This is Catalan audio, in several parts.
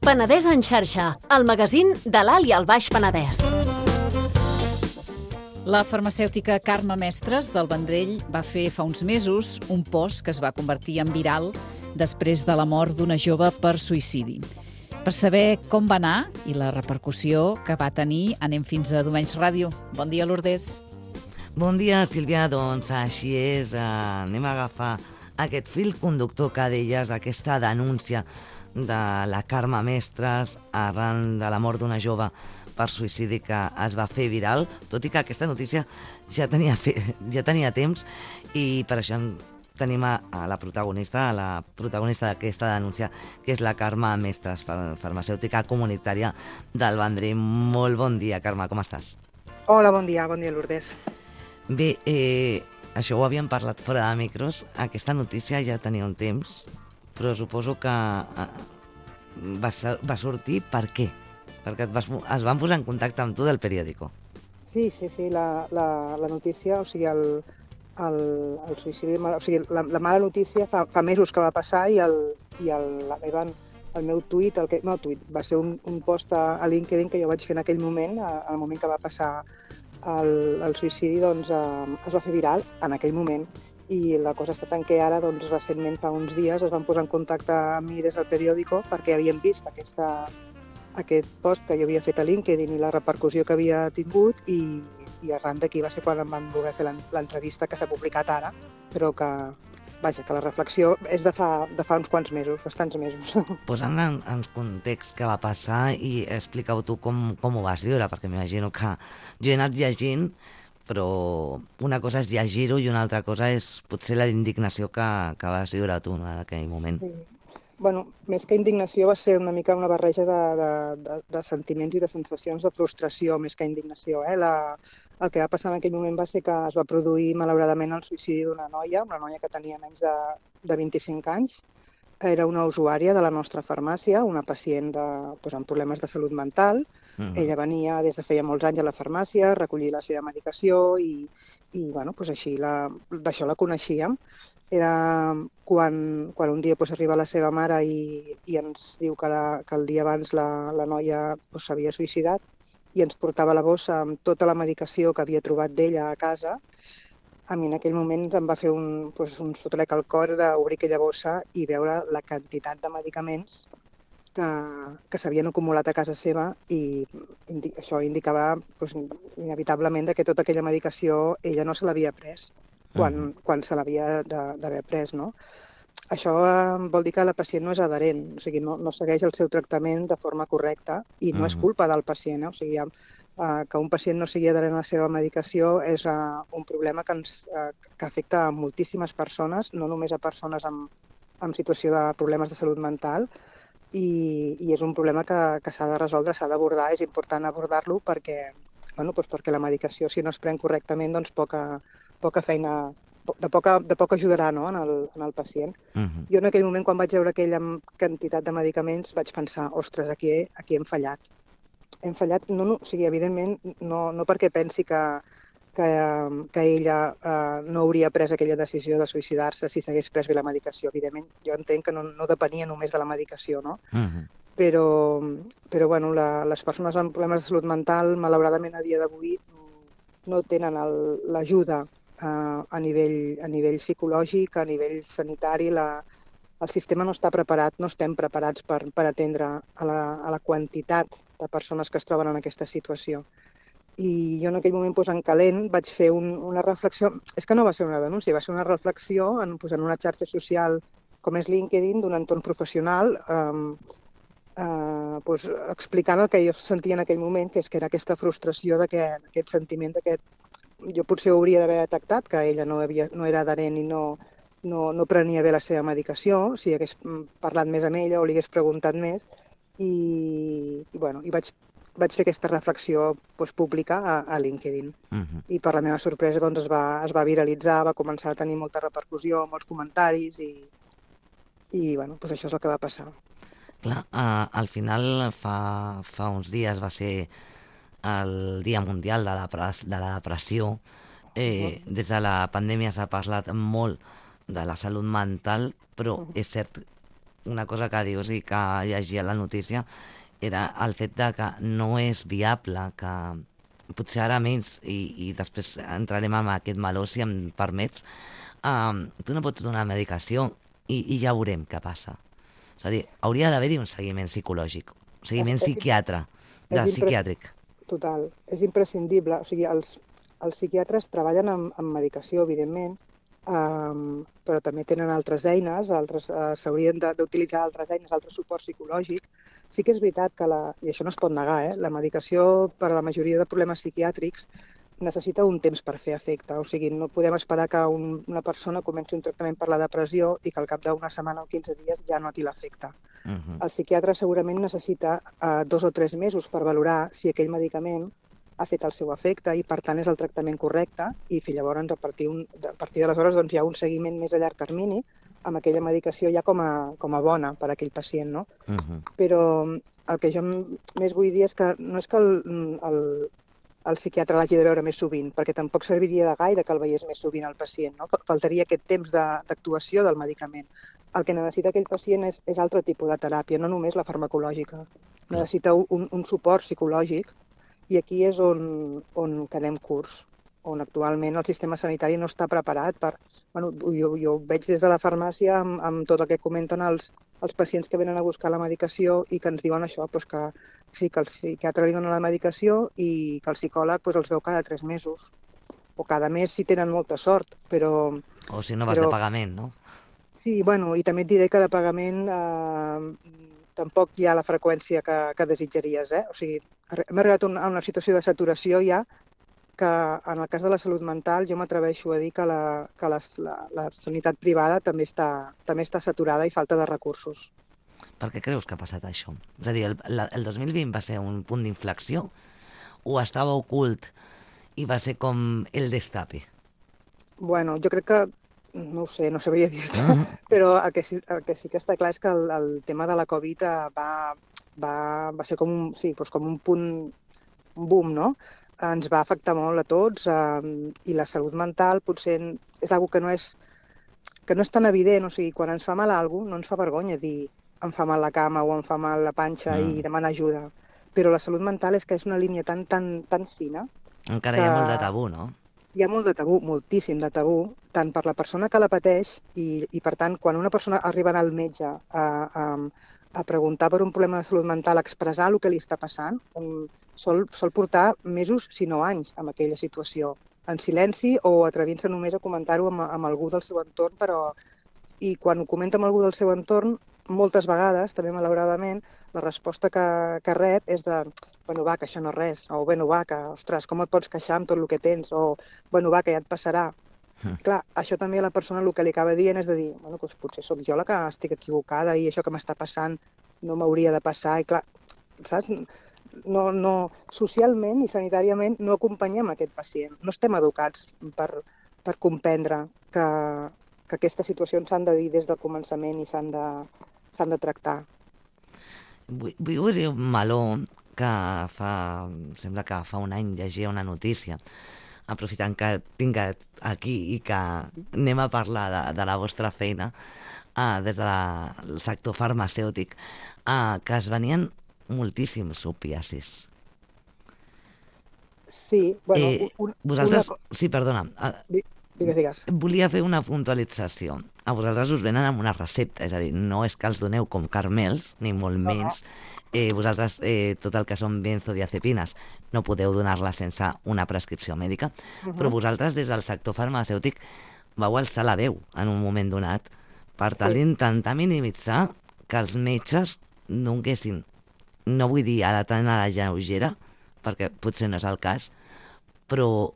Penedès en xarxa, el magazín de l'Alt i el Baix Penedès. La farmacèutica Carme Mestres del Vendrell va fer fa uns mesos un post que es va convertir en viral després de la mort d'una jove per suïcidi. Per saber com va anar i la repercussió que va tenir, anem fins a Domenys Ràdio. Bon dia, Lourdes. Bon dia, Sílvia. Doncs així és. Anem a agafar aquest fil conductor que deies, aquesta denúncia de la Carme Mestres arran de la mort d'una jove per suïcidi que es va fer viral, tot i que aquesta notícia ja tenia temps, i per això tenim a la protagonista d'aquesta denúncia, que és la Carme Mestres, farmacèutica comunitària del Vendrell. Molt bon dia, Carme, com estàs? Hola, bon dia, Lourdes. Bé, això ho havíem parlat fora de micros, aquesta notícia ja tenia un temps, però suposo que va sortir per què? Perquè es van posar en contacte amb tu del periòdico. Sí, la notícia, o sigui, el suïcidi, o sigui, la mala notícia fa mesos que va passar i el meu tuit va ser un post a LinkedIn que jo vaig fer en aquell moment, al moment que va passar el suïcidi, doncs es va fer viral en aquell moment. I la cosa està tant que ara, doncs, recentment, fa uns dies, es van posar en contacte amb mi des del periòdico perquè havien vist aquest post que jo havia fet a LinkedIn i la repercussió que havia tingut, i arran d'aquí va ser quan em van voler fer l'entrevista que s'ha publicat ara, però que la reflexió és de fa uns quants mesos, bastants mesos. Posant en context què va passar i explica-ho tu com ho vas viure, perquè m'imagino que jo he anat llegint, però una cosa és llegir-ho i una altra cosa és potser la indignació que vas viure tu, no, en aquell moment. Sí. Bueno, més que indignació va ser una mica una barreja de sentiments i de sensacions de frustració, més que indignació. El que va passar en aquell moment va ser que es va produir, malauradament, el suïcidi d'una noia que tenia menys de 25 anys. Era una usuària de la nostra farmàcia, una pacient amb problemes de salut mental. Ella venia des de feia molts anys a la farmàcia, a recollir la seva medicació i així d'això la coneixíem. Era quan un dia arriba la seva mare i ens diu que el dia abans la noia s'havia suïcidat i ens portava la bossa amb tota la medicació que havia trobat d'ella a casa. A mi en aquell moment em va fer un sotrec al cor d'obrir aquella bossa i veure la quantitat de medicaments que s'havien acumulat a casa seva, i això indicava inevitablement que tota aquella medicació ella no se l'havia pres quan se l'havia d'haver pres, no? Això vol dir que la pacient no és adherent, o sigui, no segueix el seu tractament de forma correcta, i no és culpa del pacient, O sigui, que un pacient no sigui adherent a la seva medicació és un problema que afecta a moltíssimes persones, no només a persones en situació de problemes de salut mental, i és un problema que s'ha de resoldre, s'ha d'abordar, és important abordar-lo perquè la medicació, si no es pren correctament, doncs poca feina, de poc ajudarà, no, en el pacient. Jo en aquell moment, quan vaig veure aquella quantitat de medicaments, vaig pensar, ostres, aquí hem fallat. Hem fallat, o sigui, evidentment, no perquè pensi que ella no hauria pres aquella decisió de suïcidar-se si s'hagués pres bé la medicació. Evidentment, jo entenc que no depenia només de la medicació, no? Però les persones amb problemes de salut mental, malauradament, a dia d'avui, no tenen l'ajuda a nivell psicològic, a nivell sanitari. El sistema no està preparat, no estem preparats per atendre a la quantitat de persones que es troben en aquesta situació. I jo en aquell moment, en calent, vaig fer una reflexió. És que no va ser una denúncia, va ser una reflexió en una xarxa social com és LinkedIn, d'un entorn professional, explicant el que jo sentia en aquell moment, que era aquesta frustració, d'aquest sentiment que jo potser hauria d'haver detectat que ella no era adherent i no prenia bé la seva medicació, si hagués parlat més amb ella o li hagués preguntat més, i vaig fer aquesta reflexió pública a LinkedIn. I per la meva sorpresa es va viralitzar, va començar a tenir molta repercussió, molts comentaris, i això és el que va passar. Clar, al final fa uns dies va ser el Dia Mundial de la Depressió. Des de la pandèmia s'ha parlat molt de la salut mental, però és cert una cosa que dius i que llegia la notícia era el fet de que no és viable, que potser ara menys, i després entrarem en aquest meló, si em permets, tu no pots donar medicació i ja veurem què passa. És a dir, hauria d'haver-hi un seguiment psicològic, un seguiment psiquiàtric. Total, és imprescindible. O sigui, els psiquiatres treballen amb medicació, evidentment, però també tenen altres eines, s'haurien d'utilitzar altres eines, altre suport psicològic. Sí que és veritat que, i això no es pot negar, la medicació per a la majoria de problemes psiquiàtrics necessita un temps per fer efecte. O sigui, no podem esperar que una persona comenci un tractament per la depressió i que al cap d'una setmana o 15 dies ja noti l'efecte. El psiquiatre segurament necessita 2 o 3 mesos per valorar si aquell medicament ha fet el seu efecte i, per tant, és el tractament correcte i llavors, a partir d'aleshores, doncs, hi ha un seguiment més a llarg termini amb aquella medicació ja com a bona per a aquell pacient, no? Però el que jo més vull dir és que no és que el psiquiatre l'hagi de veure més sovint, perquè tampoc serviria de gaire que el veiés més sovint el pacient, no? Faltaria aquest temps d'actuació del medicament. El que necessita aquell pacient és altre tipus de teràpia, no només la farmacològica. Necessita un suport psicològic i aquí és on quedem curts, on actualment el sistema sanitari no està preparat per... Bueno, jo ho veig des de la farmàcia amb tot el que comenten els pacients que venen a buscar la medicació i que ens diuen això, doncs que sí, que el psiquiatre li dona la medicació i que el psicòleg els veu cada 3 mesos o cada mes si tenen molta sort, però... O si no vas de pagament, no? Sí, bueno, i també et diré que de pagament tampoc hi ha la freqüència que desitjaries, O sigui, hem arribat a una situació de saturació ja que en el cas de la salut mental jo m'atreveixo a dir que la sanitat privada també està saturada i falta de recursos. Per què creus que ha passat això? És a dir, el 2020 va ser un punt d'inflexió o estava ocult i va ser com el destape? Bueno, jo crec que, no ho sé, no sabria dir-te, però el que sí que està clar és que el tema de la Covid va ser com un punt, un boom, no? Ens va afectar molt a tots i la salut mental potser és una cosa que no és tan evident. O sigui, quan ens fa mal alguna cosa no ens fa vergonya dir em fa mal la cama o em fa mal la panxa i demanar ajuda. Però la salut mental és que és una línia tan fina. Encara hi ha molt de tabú, no? Hi ha molt de tabú, moltíssim de tabú, tant per la persona que la pateix i per tant, quan una persona arriba al metge a preguntar per un problema de salut mental, a expressar el que li està passant, sol portar mesos, si no anys, amb aquella situació, en silenci o atrevint-se només a comentar-ho amb algú del seu entorn, i quan ho comenta amb algú del seu entorn, moltes vegades, també malauradament, la resposta que rep és de bueno, va, que això no és res, o bueno, va, que, ostres, com et pots queixar amb tot el que tens, o bueno, va, que ja et passarà. Clar, això també a la persona el que li acaba dient és de dir, bueno, doncs potser sóc jo la que estic equivocada i això que m'està passant no m'hauria de passar, i clar, saps? No, socialment i sanitàriament no acompanyem aquest pacient. No estem educats per comprendre que aquestes situacions s'han de dir des del començament i s'han de tractar. Vull obrir un meló que sembla que fa un any llegia una notícia, aprofitant que tinc aquí i que anem a parlar de la vostra feina des del sector farmacèutic, que es venien moltíssims opiacis. Sí, bueno... Sí, perdona. Digues. Volia fer una puntualització. A vosaltres us venen amb una recepta, és a dir, no és que els doneu com carmels, ni molt menys. Vosaltres, tot el que són benzodiazepines, no podeu donar-la sense una prescripció mèdica, però vosaltres, des del sector farmacèutic, vau alçar la veu en un moment donat per tal d'intentar minimitzar que els metges donguessin, no vull dir ara tant a la lleugera, perquè potser no és el cas, però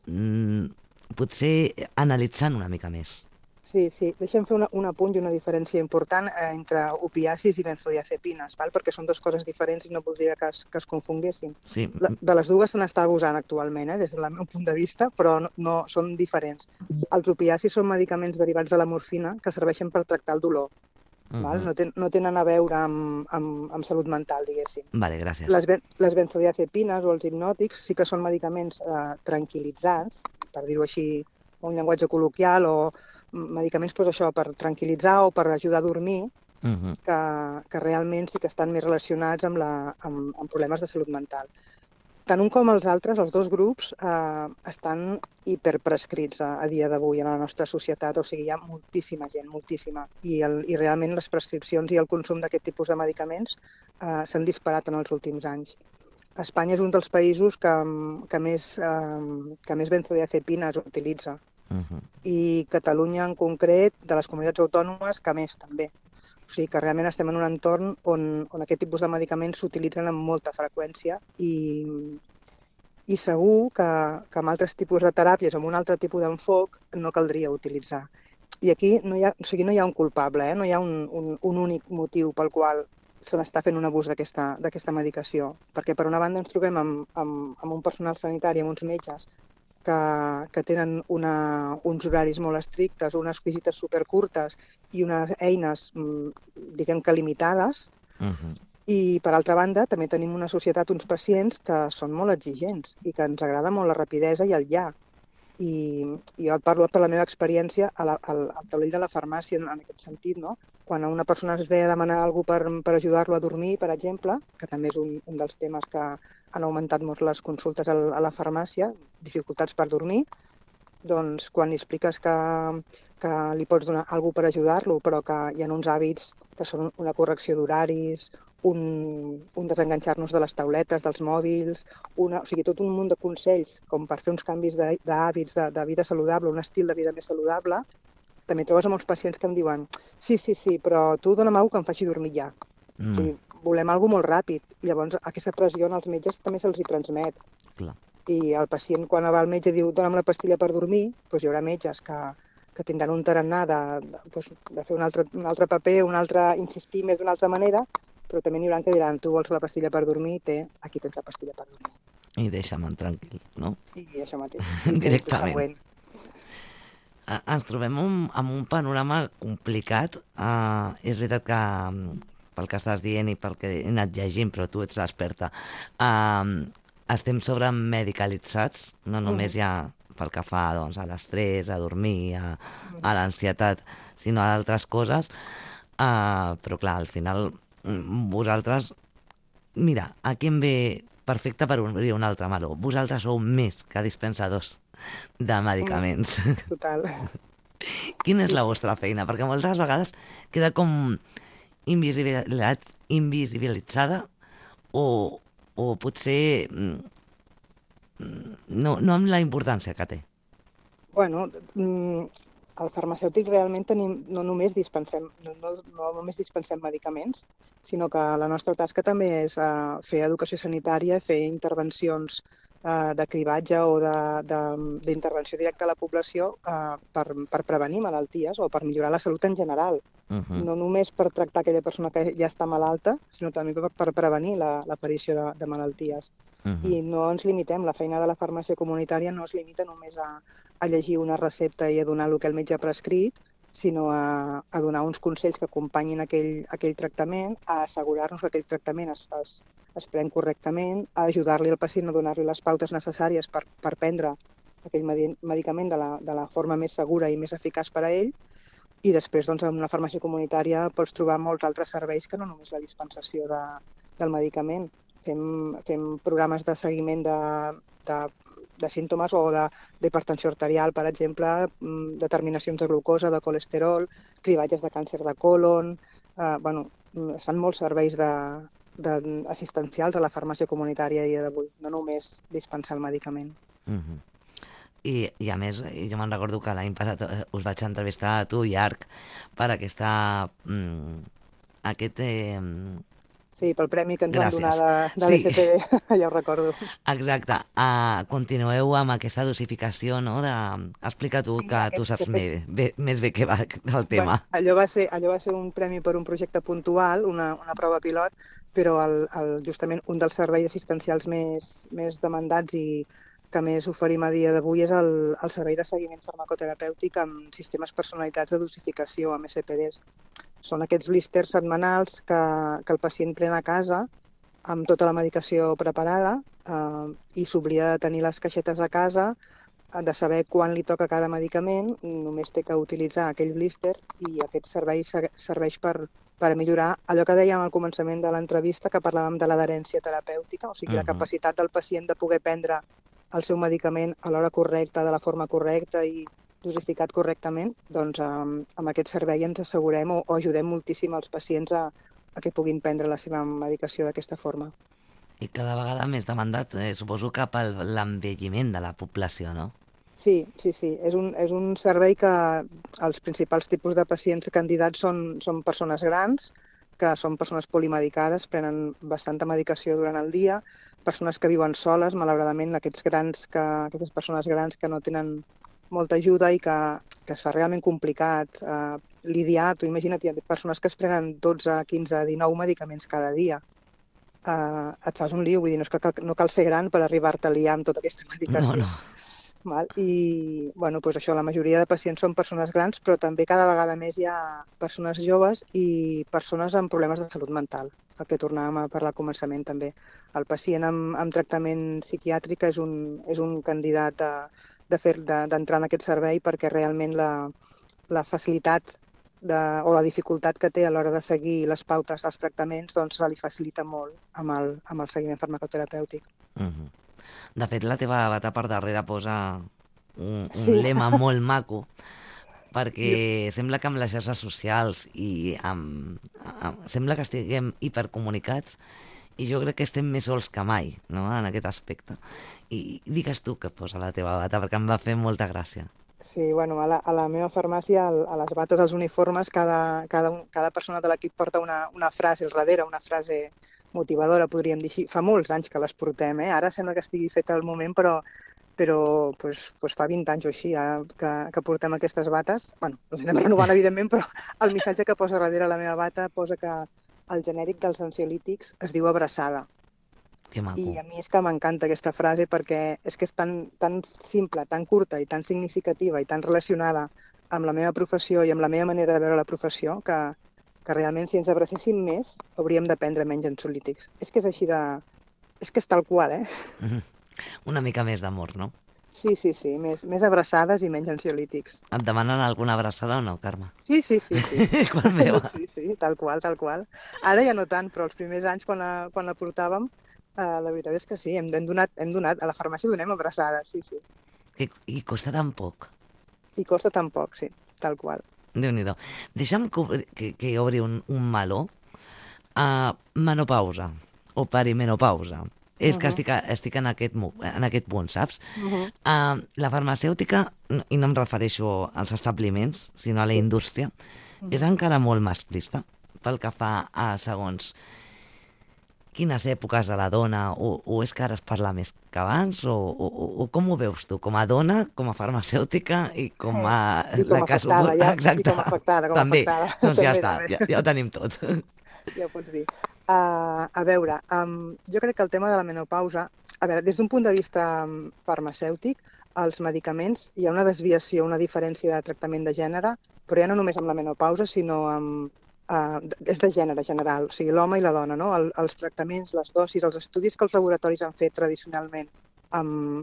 potser analitzant una mica més. Sí. Deixa'm fer un apunt i una diferència important entre opiacis i benzodiazepines, perquè són dues coses diferents i no voldria que es confonguessin. Sí. De les dues se n'està abusant actualment, des del meu punt de vista, però no són diferents. Els opiacis són medicaments derivats de la morfina que serveixen per tractar el dolor. No tenen a veure amb salut mental, diguéssim. Vale, gràcies. Les benzodiazepines o els hipnòtics sí que són medicaments tranquil·litzants, per dir-ho així, un llenguatge col·loquial, o medicaments per tranquil·litzar o per ajudar a dormir, que realment sí que estan més relacionats amb problemes de salut mental. Tant un com els altres, els dos grups, estan hiperprescrits a dia d'avui en la nostra societat, o sigui, hi ha moltíssima gent, moltíssima, i realment les prescripcions i el consum d'aquest tipus de medicaments s'han disparat en els últims anys. Espanya és un dels països que més benzodiazepina es utilitza, i Catalunya en concret, de les comunitats autònomes, que més també. O sigui que realment estem en un entorn on aquest tipus de medicaments s'utilitzen amb molta freqüència i segur que amb altres tipus de teràpies, amb un altre tipus d'enfoc, no caldria utilitzar. I aquí no hi ha un culpable, no hi ha un únic motiu pel qual se n'està fent un abús d'aquesta medicació. Perquè per una banda ens trobem amb un personal sanitari, amb uns metges, que tenen uns horaris molt estrictes, unes visites supercurtes i unes eines, diguem que limitades. I, per altra banda, també tenim una societat, uns pacients que són molt exigents i que ens agrada molt la rapidesa i el ja. I jo parlo per la meva experiència al taulell de la farmàcia en aquest sentit, no? Quan una persona es ve a demanar alguna cosa per ajudar-lo a dormir, per exemple, que també és un dels temes que han augmentat molt les consultes a la farmàcia, dificultats per dormir, doncs quan li expliques que li pots donar alguna cosa per ajudar-lo, però que hi ha uns hàbits que són una correcció d'horaris, un desenganxar-nos de les tauletes, dels mòbils, o sigui, tot un munt de consells com per fer uns canvis d'hàbits, de vida saludable, un estil de vida més saludable. També trobes molts pacients que em diuen sí, però tu dona'm alguna cosa que em faci dormir ja. O sigui, volem alguna molt ràpid. I llavors aquesta pressió als metges també se'ls hi transmet. Clar. I el pacient, quan va al metge i diu dona'm la pastilla per dormir, doncs hi haurà metges que tindran un tarannà de fer un altre paper, insistir més d'una altra manera, però també n'hi haurà que diran tu vols la pastilla per dormir, aquí tens la pastilla per dormir. I deixa'm tranquil, no? I això mateix. Directament. Ens trobem amb un panorama complicat. És veritat que pel que estàs dient i pel que he anat llegint, però tu ets l'experta, estem sobremedicalitzats, no només ja pel que fa a l'estrès, a dormir, a l'ansietat, sinó a d'altres coses. Però clar, al final vosaltres, mira, aquí em ve perfecte per obrir un altre meló. Vosaltres sou més que dispensadors de medicaments. Total. Quina és la vostra feina? Perquè moltes vegades queda com invisibilitzada o potser no amb la importància que té. Bueno, al farmacèutic realment no només dispensem medicaments, sinó que la nostra tasca també és fer educació sanitària, fer intervencions de cribatge o d'intervenció directa a la població per prevenir malalties o per millorar la salut en general. No només per tractar aquella persona que ja està malalta, sinó també per prevenir l'aparició de malalties. I no ens limitem, la feina de la farmàcia comunitària no es limita només a llegir una recepta i a donar el que el metge ha prescrit, sinó a donar uns consells que acompanyin aquell tractament, a assegurar-nos que aquell tractament es pren correctament, a ajudar-li al pacient a donar-li les pautes necessàries per prendre aquell medicament de la forma més segura i més eficaç per a ell. I després, doncs, en una farmàcia comunitària pots trobar molts altres serveis que no només la dispensació del medicament. Fem programes de seguiment de símptomes o d'hipertensió arterial, per exemple, determinacions de glucosa, de colesterol, cribatges de càncer de colon. Es fan molts serveis assistencials a la farmàcia comunitària a dia d'avui, no només dispensar el medicament. I a més, jo me'n recordo que l'any passat us vaig entrevistar a tu i Arc per aquest... Sí, pel premi que ens van donar de l'SPD, ja ho recordo. Exacte. Continueu amb aquesta dosificació, no? Explica tu, que tu saps més bé què va del tema. Allò va ser un premi per un projecte puntual, una prova pilot, però justament un dels serveis assistencials més demandats i que més oferim a dia d'avui és el servei de seguiment farmacoterapèutic amb sistemes personalitzats de dosificació, amb SPDs. Són aquests blísters setmanals que el pacient pren a casa amb tota la medicació preparada i s'oblida de tenir les caixetes a casa, de saber quan li toca cada medicament, només té que utilitzar aquell blíster i aquest servei serveix per per millorar allò que dèiem al començament de l'entrevista, que parlàvem de l'adherència terapèutica, o sigui, la capacitat del pacient de poder prendre el seu medicament a l'hora correcta, de la forma correcta i dosificat correctament, doncs amb aquest servei ens assegurem o ajudem moltíssim els pacients a que puguin prendre la seva medicació d'aquesta forma. I cada vegada més demandat, suposo, cap a l'envelliment de la població, no? Sí. És un servei que els principals tipus de pacients candidats són persones grans, que són persones polimedicades, prenen bastanta medicació durant el dia, persones que viuen soles, malauradament, aquestes persones grans que no tenen molta ajuda i que es fa realment complicat lidiar. Tu imagina't, hi ha persones que es prenen 12, 15, 19 medicaments cada dia. Et fas un lío, vull dir, no cal ser gran per arribar-te a liar amb tota aquesta medicació. No. I doncs això, la majoria de pacients són persones grans, però també cada vegada més hi ha persones joves i persones amb problemes de salut mental, el que tornàvem a parlar al començament també. El pacient amb tractament psiquiàtric és un candidat d'entrar en aquest servei perquè realment la facilitat o la dificultat que té a l'hora de seguir les pautes dels tractaments doncs se li facilita molt amb el seguiment farmacoterapèutic. De fet, la teva bata per darrere posa un lema molt maco, perquè sembla que amb les xarxes socials i sembla que estiguem hipercomunicats i jo crec que estem més sols que mai, no?, en aquest aspecte. I digues tu què posa la teva bata, perquè em va fer molta gràcia. Sí, a la meva farmàcia, a les bates, als uniformes, cada persona de l'equip porta una frase al darrere, una frase motivadora, podríem dir així. Fa molts anys que les portem, ara sembla que estigui feta al moment, però fa 20 anys o així que portem aquestes bates. Les anem renovant, evidentment, però el missatge que posa darrere la meva bata posa que el genèric dels ansiolítics es diu abraçada. Que maco. I a mi és que m'encanta aquesta frase perquè és que és tan simple, tan curta i tan significativa i tan relacionada amb la meva professió i amb la meva manera de veure la professió que realment si ens abracéssim més hauríem de prendre menys ansiolítics. És que és així és que és tal qual, Una mica més d'amor, no? Sí, més abraçades i menys ansiolítics. Et demanen alguna abraçada o no, Carme? Sí. Quan meva. Sí, tal qual. Ara ja no tant, però els primers anys quan la portàvem, la veritat és que sí, hem donat, a la farmàcia donem abraçades, sí. I costa tan poc. I costa tan poc, sí, tal qual. Déu-n'hi-do. Deixa'm que obri un meló. Menopausa o perimenopausa. És que estic en aquest punt, saps? La farmacèutica, i no em refereixo als establiments, sinó a la indústria, és encara molt masclista pel que fa a segons quines èpoques de la dona, o és que ara es parla més que abans, o com ho veus tu? Com a dona, com a farmacèutica i com a... I com a afectada, exacte. I com a afectada. També, doncs ja està, ja ho tenim tot. Ja ho pots dir. A veure, jo crec que el tema de la menopausa, des d'un punt de vista farmacèutic, els medicaments, hi ha una desviació, una diferència de tractament de gènere, però ja no només amb la menopausa, sinó és de gènere general, o sigui, l'home i la dona, no? Els tractaments, les dosis, els estudis que els laboratoris han fet tradicionalment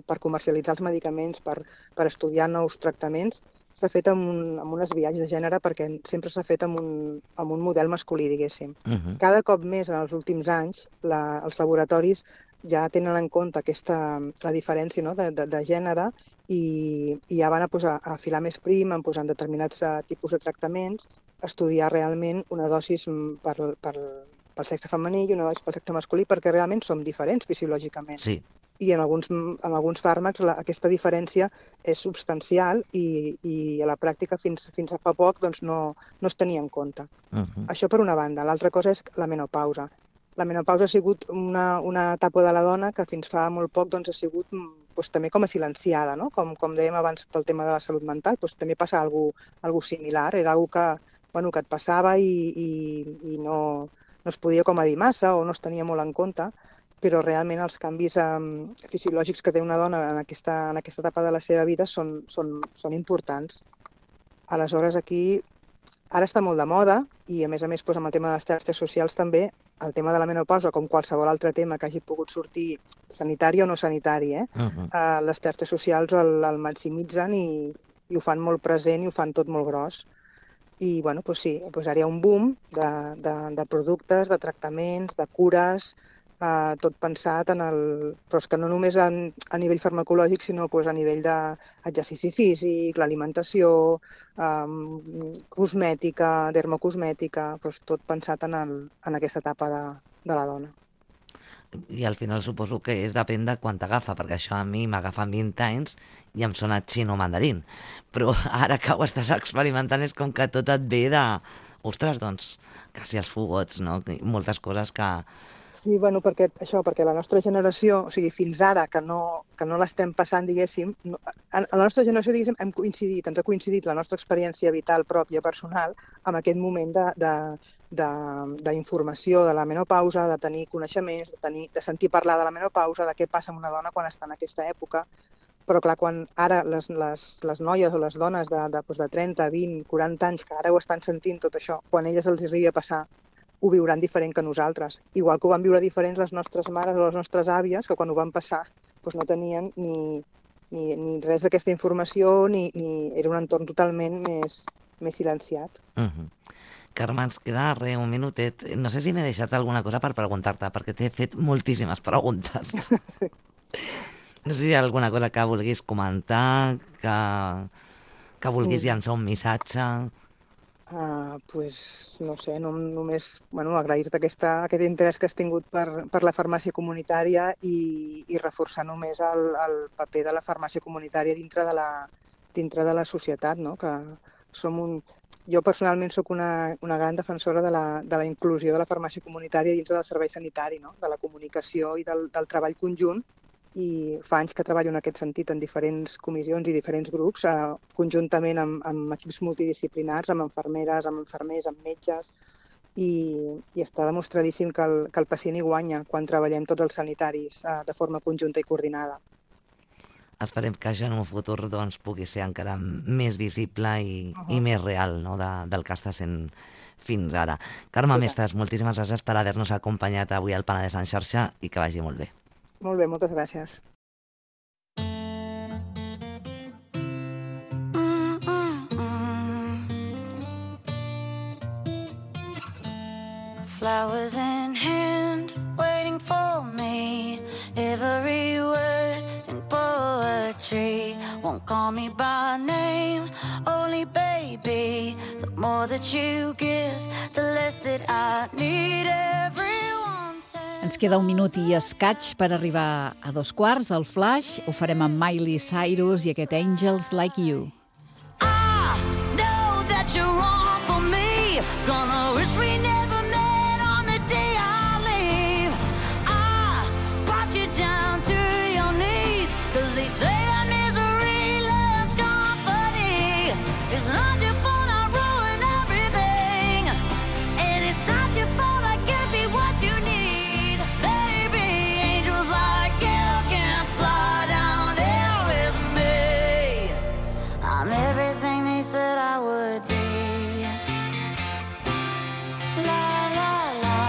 per comercialitzar els medicaments, per estudiar nous tractaments, s'ha fet amb un esbiaix de gènere perquè sempre s'ha fet amb un model masculí, diguéssim. Cada cop més en els últims anys els laboratoris ja tenen en compte la diferència, no, de gènere i ja van a filar més prim, en posant determinats tipus de tractaments, estudiar realment una dosis pel sexe femení i una dosis pel sexe masculí perquè realment som diferents fisiològicament. Sí. I en alguns fàrmacs aquesta diferència és substancial i a la pràctica fins a fa poc doncs, no es tenia en compte. Això per una banda. L'altra cosa és la menopausa. La menopausa ha sigut una etapa de la dona que fins fa molt poc doncs, ha sigut també com a silenciada, no? Com dèiem abans pel tema de la salut mental, també passa alguna similar. Era alguna cosa que et passava i no es podia com a dir massa o no es tenia molt en compte, però realment els canvis fisiològics que té una dona en aquesta etapa de la seva vida són importants. Aleshores, aquí ara està molt de moda i, a més, amb el tema de les xarxes socials també, el tema de la menopausa, com qualsevol altre tema que hagi pogut sortir sanitari o no sanitari, les xarxes socials el maximitzen i ho fan molt present i ho fan tot molt gros. I bueno, doncs sí, doncs ara hi ha un boom de productes, de tractaments, de cures, tot pensat però és que no només a nivell farmacològic, sinó a nivell d'exercici físic, l'alimentació, cosmètica, dermocosmètica, tot pensat en aquesta etapa de la dona. I al final suposo que depèn de quan t'agafa, perquè això a mi m'agafa 20 anys i em sona xino mandarín. Però ara que ho estàs experimentant és com que tot et ve de... Ostres, doncs, quasi els fogots, no? Moltes coses que... Sí, bueno, perquè la nostra generació, o sigui, fins ara, que no l'estem passant, diguéssim, a la nostra generació, diguéssim, ens ha coincidit la nostra experiència vital pròpia, personal, amb aquest moment d'informació de la menopausa, de tenir coneixements, de sentir parlar de la menopausa, de què passa amb una dona quan està en aquesta època. Però clar, quan ara les noies o les dones de 30, 20, 40 anys que ara ho estan sentint tot això, quan elles els arribi a passar, ho viuran diferent que nosaltres. Igual que ho van viure diferents les nostres mares o les nostres àvies, que quan ho van passar no tenien ni res d'aquesta informació, ni era un entorn totalment més silenciat. Carme, ens queda un minutet. No sé si m'he deixat alguna cosa per preguntar-te, perquè t'he fet moltíssimes preguntes. No sé si hi ha alguna cosa que vulguis comentar, que vulguis llançar un missatge... No sé, només agrair-te aquest interès que has tingut per la farmàcia comunitària i reforçar només el paper de la farmàcia comunitària dintre de la societat, no? Que jo personalment sóc una gran defensora de la inclusió de la farmàcia comunitària dintre del servei sanitari, no? De la comunicació i del treball conjunt. I fa anys que treballo en aquest sentit en diferents comissions i diferents grups, conjuntament amb equips multidisciplinars, amb infermeres, amb infermers, amb metges, i està demostradíssim que el pacient hi guanya quan treballem tots els sanitaris de forma conjunta i coordinada. Esperem que això en un futur pugui ser encara més visible i més real, no? Del que està sent fins ara. Carme Mestres, moltíssimes gràcies per haver-nos acompanyat avui al Penedès en xarxa i que vagi molt bé. Molt bé, moltes gràcies. Flowers in hand, waiting for me. Every word in poetry won't call me by name. Only baby, the more that you give, the less that I need. Ens queda un minut i escaig per arribar a 2:15, al Flash. Ho farem amb Miley Cyrus i aquest Angels Like You. I know that you're wrong for me. Gonna wish we never met on the day I leave. I brought you down to your knees, 'cause they say that misery loves company. It's not your fault I ruin everything, and it's not your fault I give you what you need. I'm everything they said I would be. La la la.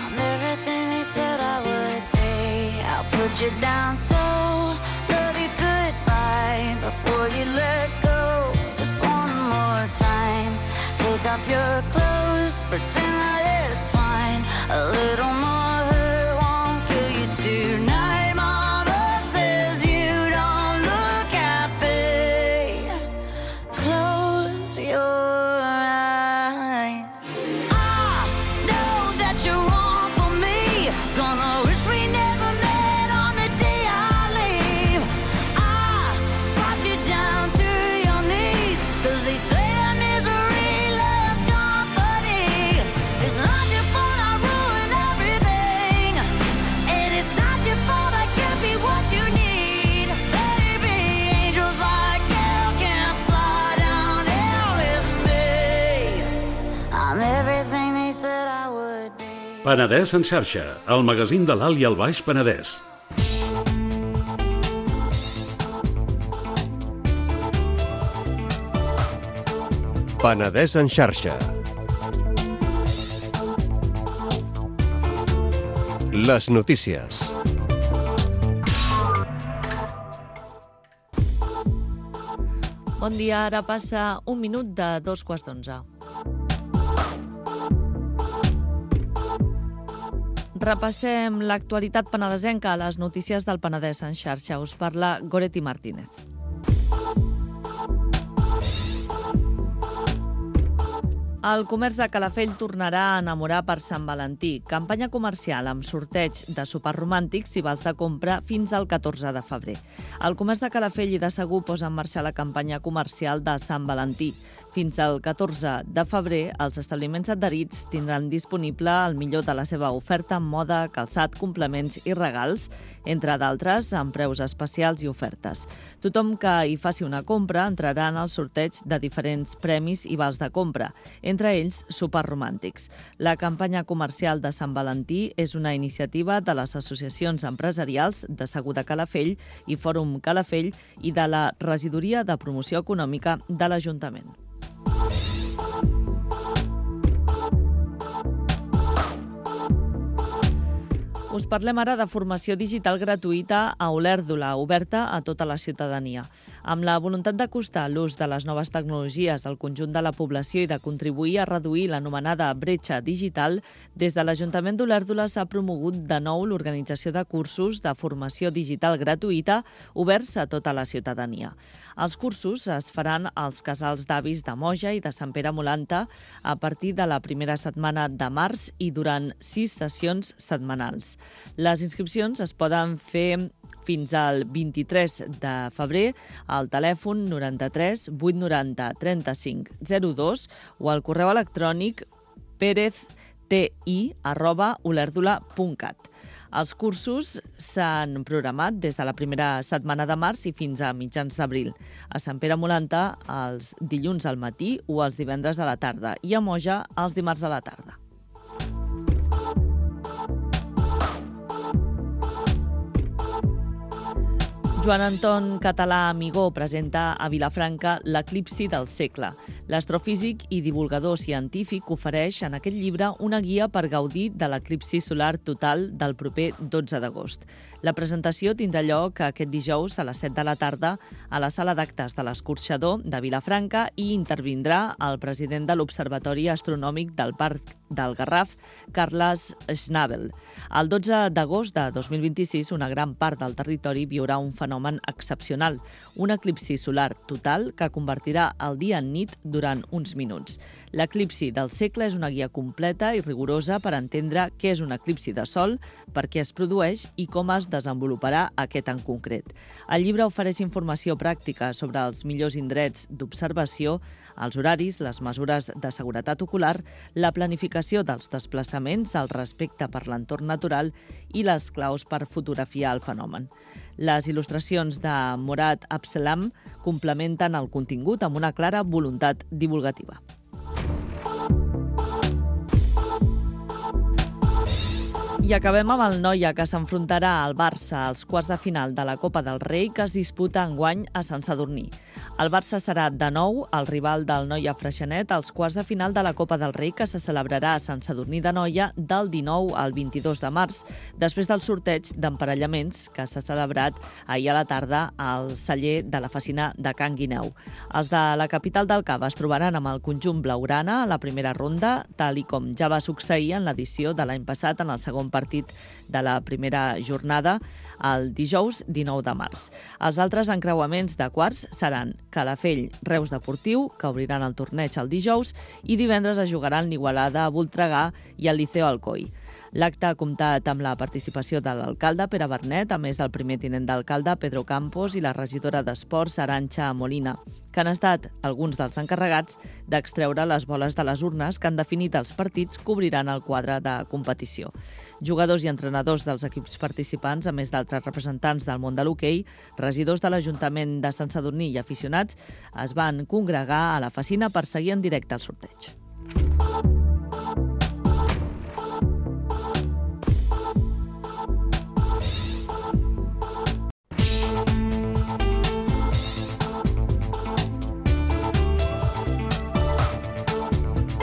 I'm everything they said I would be. I'll put you down slow, love you goodbye before you let go. Just one more time. Take off your clothes, pretend that it's fine. A little more hurt won't kill you tonight. Penedès en xarxa, el magazín de l'Alt i el Baix Penedès. Penedès en xarxa. Les notícies. Bon dia, ara passa 1 minut de 2:15. Repassem l'actualitat penedesenca a les notícies del Penedès en xarxa. Us parla Goretti Martínez. El comerç de Calafell tornarà a enamorar per Sant Valentí. Campanya comercial amb sorteig de sopars romàntics i vals de compra fins al 14 de febrer. El comerç de Calafell i de Segur posa en marxa la campanya comercial de Sant Valentí. Fins al 14 de febrer, els establiments adherits tindran disponible el millor de la seva oferta en moda, calçat, complements i regals, entre d'altres, amb preus especials i ofertes. Tothom que hi faci una compra entrarà en el sorteig de diferents premis i vals de compra, entre ells sopars romàntics. La campanya comercial de Sant Valentí és una iniciativa de les associacions empresarials de Segur de Calafell i Fòrum Calafell i de la Regidoria de Promoció Econòmica de l'Ajuntament. Us parlem ara de formació digital gratuïta a Olèrdola, oberta a tota la ciutadania. Amb la voluntat d'acostar l'ús de les noves tecnologies al conjunt de la població i de contribuir a reduir l'anomenada bretxa digital, des de l'Ajuntament d'Olèrdola s'ha promogut de nou l'organització de cursos de formació digital gratuïta oberts a tota la ciutadania. Els cursos es faran als casals d'avis de Moja i de Sant Pere Molanta a partir de la primera setmana de març i durant 6 sessions setmanals. Les inscripcions es poden fer fins al 23 de febrer al telèfon 93 890 35 02 o al correu electrònic perezti@olèrdola.cat. Els cursos s'han programat des de la primera setmana de març i fins a mitjans d'abril. A Sant Pere Molanta els dilluns al matí o els divendres a la tarda i a Moja els dimarts a la tarda. Joan Anton Català Amigó presenta a Vilafranca l'eclipsi del segle. L'astrofísic i divulgador científic ofereix en aquest llibre una guia per gaudir de l'eclipsi solar total del proper 12 d'agost. La presentació tindrà lloc aquest dijous a les 7 de la tarda a la sala d'actes de l'Escorxador de Vilafranca i intervindrà el president de l'Observatori Astronòmic del Parc del Garraf, Carles Schnabel. El 12 d'agost de 2026, una gran part del territori viurà un fenomen excepcional, un eclipsi solar total que convertirà el dia en nit durant uns minuts. L'eclipsi del segle és una guia completa i rigorosa per entendre què és un eclipsi de sol, per què es produeix i com es desenvoluparà aquest en concret. El llibre ofereix informació pràctica sobre els millors indrets d'observació, els horaris, les mesures de seguretat ocular, la planificació dels desplaçaments, el respecte per l'entorn natural i les claus per fotografiar el fenomen. Les il·lustracions de Morad Abselam complementen el contingut amb una clara voluntat divulgativa. I acabem amb el Noia, que s'enfrontarà al Barça als quarts de final de la Copa del Rei, que es disputa enguany a Sant Sadurní. El Barça serà de nou el rival del Noia Freixenet als quarts de final de la Copa del Rei, que se celebrarà a Sant Sadurní de Noia del 19 al 22 de març, després del sorteig d'emparellaments que s'ha celebrat ahir a la tarda al celler de la Fecina de Can Guineu. Els de la capital del Cava es trobaran amb el conjunt blaugrana a la primera ronda, tal i com ja va succeir en l'edició de l'any passat en el segon partit de la primera jornada, el dijous 19 de març. Els altres encreuaments de quarts seran Calafell, Reus Deportiu, que obriran el torneig el dijous, i divendres es jugaran l'Igualada, Voltregà i el Liceo Alcoi. L'acte ha comptat amb la participació de l'alcalde Pere Bernet, a més del primer tinent d'alcalde Pedro Campos i la regidora d'Esports Arantxa Molina, que han estat alguns dels encarregats d'extreure les boles de les urnes que han definit els partits que obriran el quadre de competició. Jugadors i entrenadors dels equips participants, a més d'altres representants del món de l'hoquei, regidors de l'Ajuntament de Sant Sadurní i aficionats, es van congregar a la Fecina per seguir en directe el sorteig.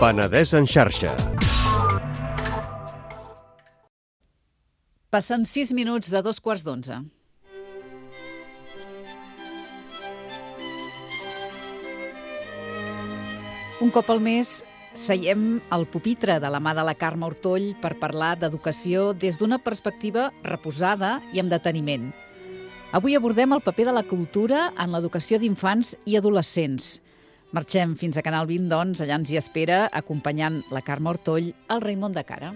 Penedès en xarxa. Passen 6 minuts de 2:15. Un cop al mes seiem al pupitre de la mà de la Carme Ortoll per parlar d'educació des d'una perspectiva reposada i amb deteniment. Avui abordem el paper de la cultura en l'educació d'infants i adolescents. Marxem fins a Canal 20, doncs, allà ens hi espera, acompanyant la Carme Ortoll, el Raimon de Cara.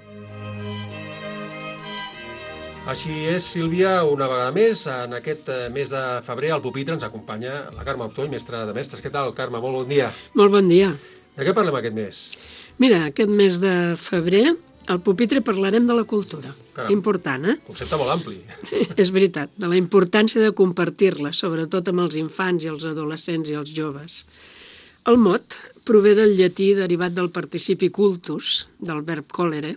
Així és, Sílvia, una vegada més, en aquest mes de febrer al pupitre ens acompanya la Carme Ortoll, mestra de mestres. Què tal, Carme? Molt bon dia. Molt bon dia. De què parlem aquest mes? Mira, aquest mes de febrer al pupitre parlarem de la cultura. Caram. Important, eh? Concepte molt ampli. És veritat, de la importància de compartir-la, sobretot amb els infants i els adolescents i els joves. El mot prové del llatí derivat del participi cultus, del verb colere,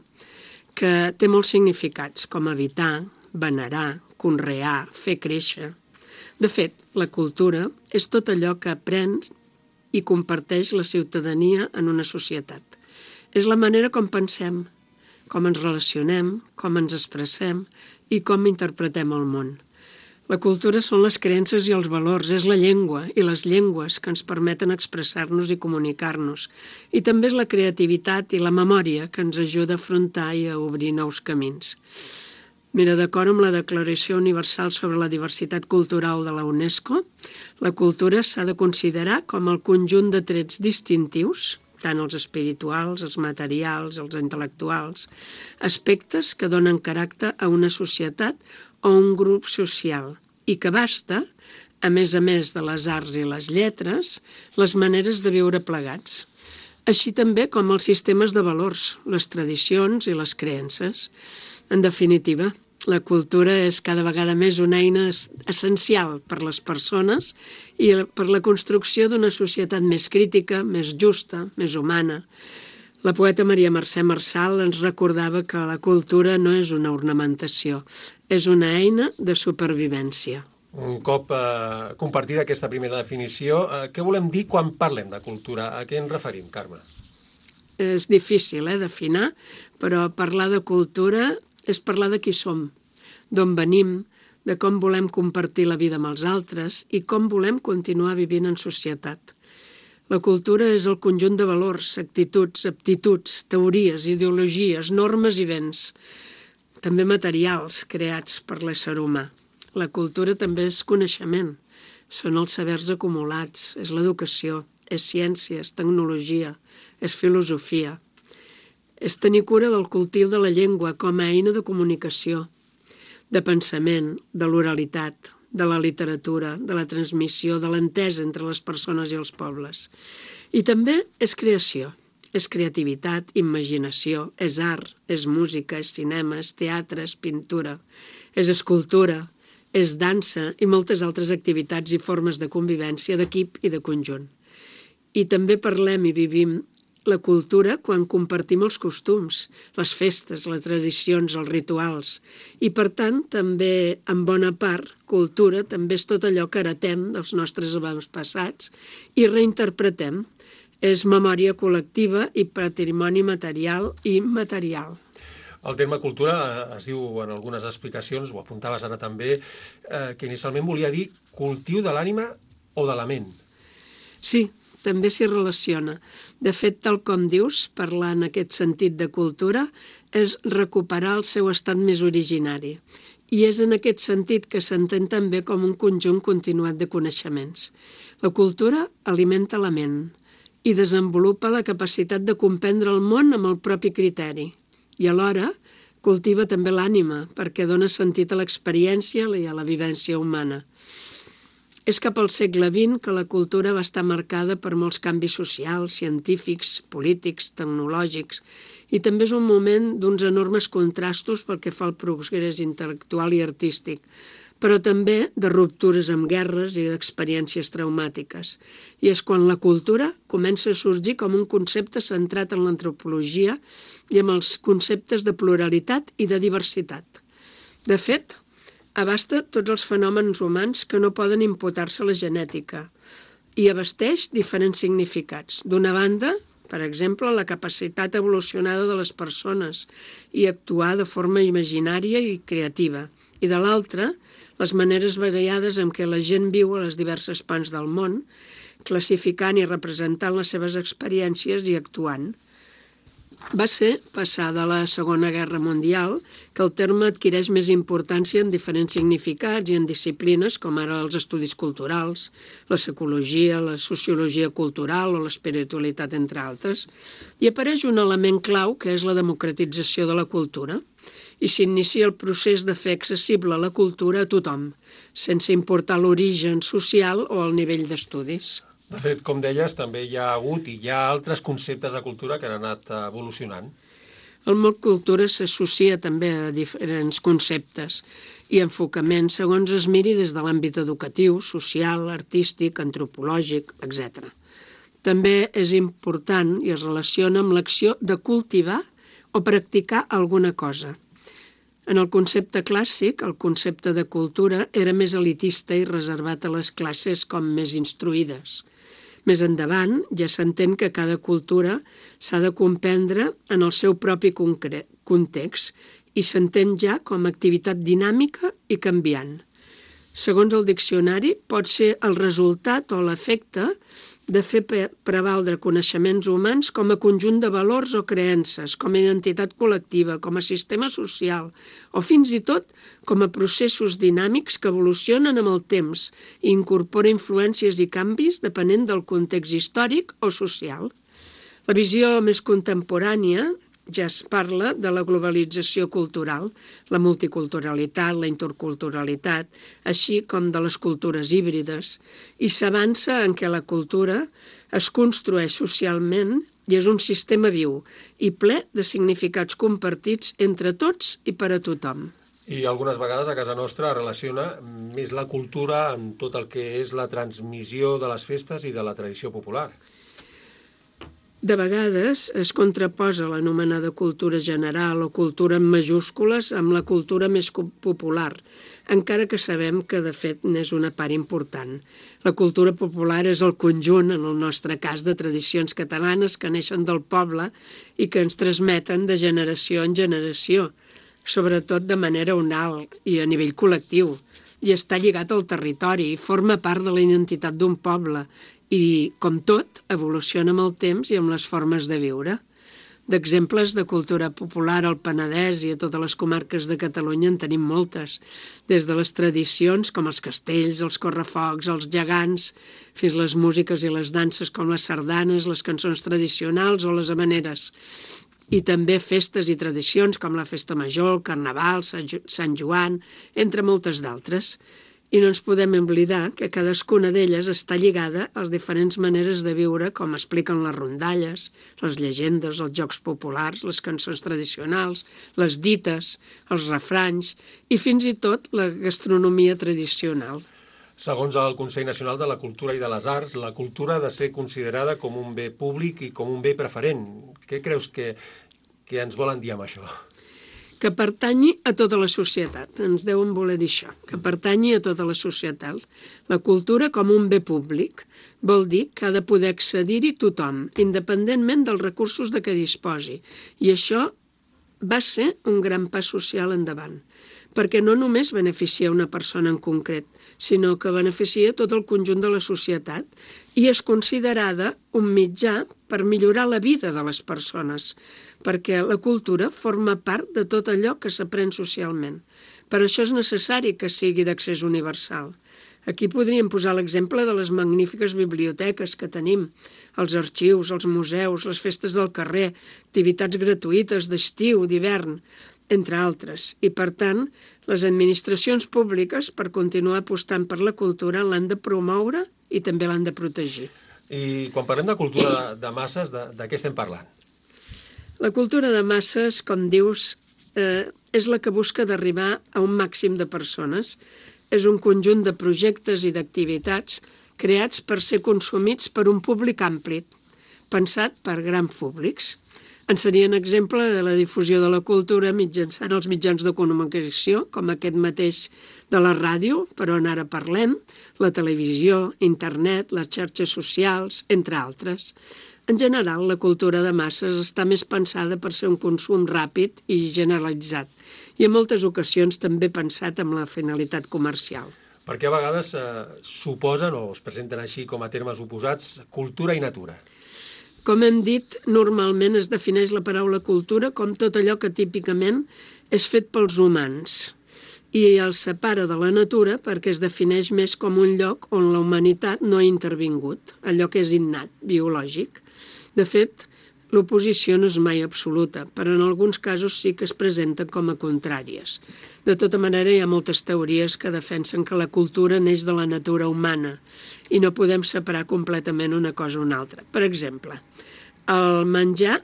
que té molts significats, com habitar, venerar, conrear, fer créixer. De fet, la cultura és tot allò que aprens i comparteix la ciutadania en una societat. És la manera com pensem, com ens relacionem, com ens expressem i com interpretem el món. La cultura són les creences i els valors, és la llengua i les llengües que ens permeten expressar-nos i comunicar-nos. I també és la creativitat i la memòria que ens ajuda a afrontar i a obrir nous camins. Mira, d'acord amb la Declaració Universal sobre la Diversitat Cultural de la UNESCO, la cultura s'ha de considerar com el conjunt de trets distintius, tant els espirituals, els materials, els intel·lectuals, aspectes que donen caràcter a una societat o un grup social i que abasta, a més de les arts i les lletres, les maneres de viure plegats, així també com els sistemes de valors, les tradicions i les creences. En definitiva, la cultura és cada vegada més una eina essencial per les persones i per la construcció d'una societat més crítica, més justa, més humana. La poeta Maria Mercè Marçal ens recordava que la cultura no és una ornamentació, és una eina de supervivència. Un cop compartida aquesta primera definició, què volem dir quan parlem de cultura? A què ens referim, Carme? És difícil d'afinar, però parlar de cultura és parlar de qui som, d'on venim, de com volem compartir la vida amb els altres i com volem continuar vivint en societat. La cultura és el conjunt de valors, actituds, aptituds, teories, ideologies, normes i béns, també materials creats per l'ésser humà. La cultura també és coneixement, són els sabers acumulats, és l'educació, és ciència, és tecnologia, és filosofia. És tenir cura del cultiu de la llengua com a eina de comunicació, de pensament, de l'oralitat, de la literatura, de la transmissió, de l'entesa entre les persones i els pobles. I també és creació, és creativitat, imaginació, és art, és música, és cinema, és teatre, és pintura, és escultura, és dansa i moltes altres activitats i formes de convivència d'equip i de conjunt. I també parlem i vivim la cultura quan compartim els costums, les festes, les tradicions, els rituals. I, per tant, també, en bona part, cultura també és tot allò que heretem dels nostres avantpassats i reinterpretem. És memòria col·lectiva i patrimoni material i immaterial. El terme cultura es diu en algunes explicacions, ho apuntaves ara també, que inicialment volia dir cultiu de l'ànima o de la ment. Sí, també s'hi relaciona. De fet, tal com dius, parlar en aquest sentit de cultura és recuperar el seu estat més originari. I és en aquest sentit que s'entén també com un conjunt continuat de coneixements. La cultura alimenta la ment i desenvolupa la capacitat de comprendre el món amb el propi criteri. I alhora cultiva també l'ànima perquè dona sentit a l'experiència i a la vivència humana. És cap al segle XX que la cultura va estar marcada per molts canvis socials, científics, polítics, tecnològics, i també és un moment d'uns enormes contrastos pel que fa al progrés intel·lectual i artístic, però també de ruptures amb guerres i d'experiències traumàtiques. I és quan la cultura comença a sorgir com un concepte centrat en l'antropologia i amb els conceptes de pluralitat i de diversitat. De fet, abasta tots els fenòmens humans que no poden imputar-se a la genètica i abasteix diferents significats. D'una banda, per exemple, la capacitat evolucionada de les persones i actuar de forma imaginària i creativa. I de l'altra, les maneres variades en què la gent viu a les diverses parts del món, classificant i representant les seves experiències i actuant. Va ser passada la Segona Guerra Mundial que el terme adquireix més importància en diferents significats i en disciplines com ara els estudis culturals, la psicologia, la sociologia cultural o l'espiritualitat, entre altres, i apareix un element clau que és la democratització de la cultura i s'inicia el procés de fer accessible la cultura a tothom, sense importar l'origen social o el nivell d'estudis. De fet, com deies, també hi ha hagut i hi ha altres conceptes de cultura que han anat evolucionant. El mot cultura s'associa també a diferents conceptes i enfocaments segons es miri des de l'àmbit educatiu, social, artístic, antropològic, etc. També és important i es relaciona amb l'acció de cultivar o practicar alguna cosa. En el concepte clàssic, el concepte de cultura era més elitista i reservat a les classes com més instruïdes. Més endavant, ja s'entén que cada cultura s'ha de comprendre en el seu propi context i s'entén ja com a activitat dinàmica i canviant. Segons el diccionari, pot ser el resultat o l'efecte de fer prevaldre coneixements humans com a conjunt de valors o creences, com a identitat col·lectiva, com a sistema social, o fins i tot com a processos dinàmics que evolucionen amb el temps i incorpora influències i canvis depenent del context històric o social. La visió més contemporània ja es parla de la globalització cultural, la multiculturalitat, la interculturalitat, així com de les cultures híbrides, i s'avança en què la cultura es construeix socialment i és un sistema viu i ple de significats compartits entre tots i per a tothom. I algunes vegades a casa nostra relaciona més la cultura amb tot el que és la transmissió de les festes i de la tradició popular. De vegades es contraposa l'anomenada cultura general o cultura en majúscules amb la cultura més popular, encara que sabem que de fet n'és una part important. La cultura popular és el conjunt, en el nostre cas, de tradicions catalanes que neixen del poble i que ens transmeten de generació en generació, sobretot de manera oral i a nivell col·lectiu, i està lligat al territori i forma part de la identitat d'un poble, i, com tot, evoluciona amb el temps i amb les formes de viure. D'exemples de cultura popular al Penedès i a totes les comarques de Catalunya en tenim moltes, des de les tradicions com els castells, els correfocs, els gegants, fins les músiques i les danses com les sardanes, les cançons tradicionals o les havaneres. I també festes i tradicions com la Festa Major, el Carnaval, Sant Joan, entre moltes d'altres. I no ens podem oblidar que cadascuna d'elles està lligada a les diferents maneres de viure, com expliquen les rondalles, les llegendes, els jocs populars, les cançons tradicionals, les dites, els refranys i fins i tot la gastronomia tradicional. Segons el Consell Nacional de la Cultura i de les Arts, la cultura ha de ser considerada com un bé públic i com un bé preferent. Què creus que ens volen dir amb això? Que pertanyi a tota la societat, ens deuen voler dir això, que pertanyi a tota la societat. La cultura com un bé públic vol dir que ha de poder accedir-hi tothom, independentment dels recursos de què disposi. I això va ser un gran pas social endavant, perquè no només beneficia una persona en concret, sinó que beneficia tot el conjunt de la societat i és considerada un mitjà per millorar la vida de les persones, perquè la cultura forma part de tot allò que s'aprèn socialment. Per això és necessari que sigui d'accés universal. Aquí podríem posar l'exemple de les magnífiques biblioteques que tenim, els arxius, els museus, les festes del carrer, activitats gratuïtes d'estiu, d'hivern, entre altres. I, per tant, les administracions públiques, per continuar apostant per la cultura, l'han de promoure i també l'han de protegir. I quan parlem de cultura de masses, de què estem parlant? La cultura de masses, com dius, és la que busca d'arribar a un màxim de persones. És un conjunt de projectes i d'activitats creats per ser consumits per un públic ampli, pensat per grans públics. En serien exemple de la difusió de la cultura mitjançant els mitjans de comunicació, com aquest mateix de la ràdio, per on ara parlem, la televisió, internet, les xarxes socials, entre altres. En general, la cultura de masses està més pensada per ser un consum ràpid i generalitzat, i en moltes ocasions també pensat amb la finalitat comercial. Perquè a vegades suposen o es presenten així com a termes oposats cultura i natura. Com hem dit, normalment es defineix la paraula cultura com tot allò que típicament és fet pels humans i el separa de la natura perquè es defineix més com un lloc on la humanitat no ha intervingut, allò que és innat, biològic. De fet, l'oposició no és mai absoluta, però en alguns casos sí que es presenten com a contràries. De tota manera, hi ha moltes teories que defensen que la cultura neix de la natura humana i no podem separar completament una cosa o una altra. Per exemple, al menjar